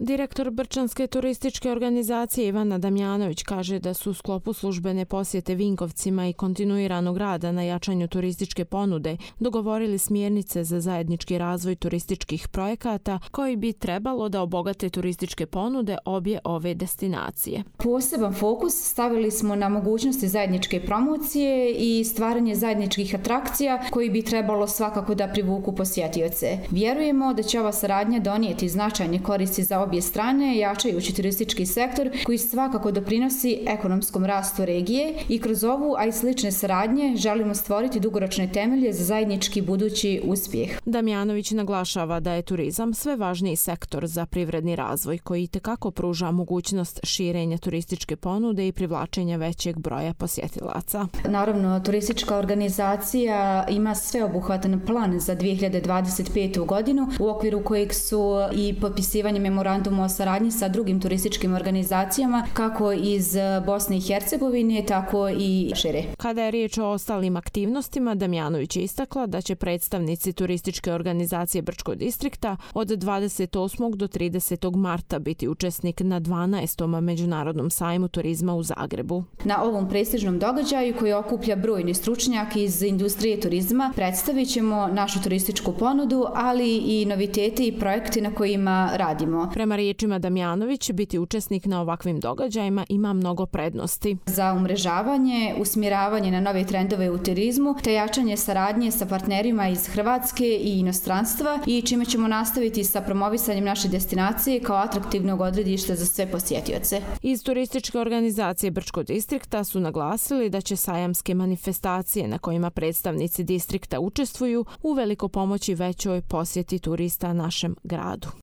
Direktor Brčanske turističke organizacije Ivana Damjanović kaže da su u sklopu službene posjete Vinkovcima i kontinuiranog rada na jačanju turističke ponude dogovorili smjernice za zajednički razvoj turističkih projekata koji bi trebalo da obogate turističke ponude obje ove destinacije. Poseban fokus stavili smo na mogućnosti zajedničke promocije i stvaranje zajedničkih atrakcija koji bi trebalo svakako da privuku posjetioce. Vjerujemo da će ova saradnja donijeti značajne koristi za obje strane, jačajući turistički sektor koji svakako doprinosi ekonomskom rastu regije i kroz ovu, a i slične saradnje želimo stvoriti dugoročne temelje za zajednički budući uspjeh. Damjanović naglašava da je turizam sve važniji sektor za privredni razvoj koji itekako pruža mogućnost širenja turističke ponude i privlačenja većeg broja posjetilaca. Naravno, turistička organizacija ima sveobuhvatan plan za 2025. godinu u okviru kojeg su i potpisivanje memoranduma o saradnji sa drugim turističkim organizacijama kako iz Bosne i Hercegovine, tako i šire. Kada je riječ o ostalim aktivnostima, Damjanović je istakla da će predstavnici turističke organizacije Brčkog distrikta od 28. do 30. marta biti učesnik na 12. Međunarodnom sajmu turizma u Zagrebu. Na ovom prestižnom događaju koji okuplja brojni stručnjaki iz industrije turizma predstavit ćemo našu turističku ponudu, ali i novitete i projekte na kojima radimo. Prema riječima Damjanović, biti učesnik na ovakvim događajima ima mnogo prednosti. Za umrežavanje, usmjeravanje na nove trendove u turizmu, te jačanje saradnje sa partnerima iz Hrvatske i inostranstva i čime ćemo nastaviti sa promovisanjem naše destinacije kao atraktivnog odredišta za sve posjetioce. Iz turističke organizacije Brčkog distrikta su naglasili da će sajamske manifestacije na kojima predstavnici distrikta učestvuju uveliko pomoći većoj posjeti turista našem gradu.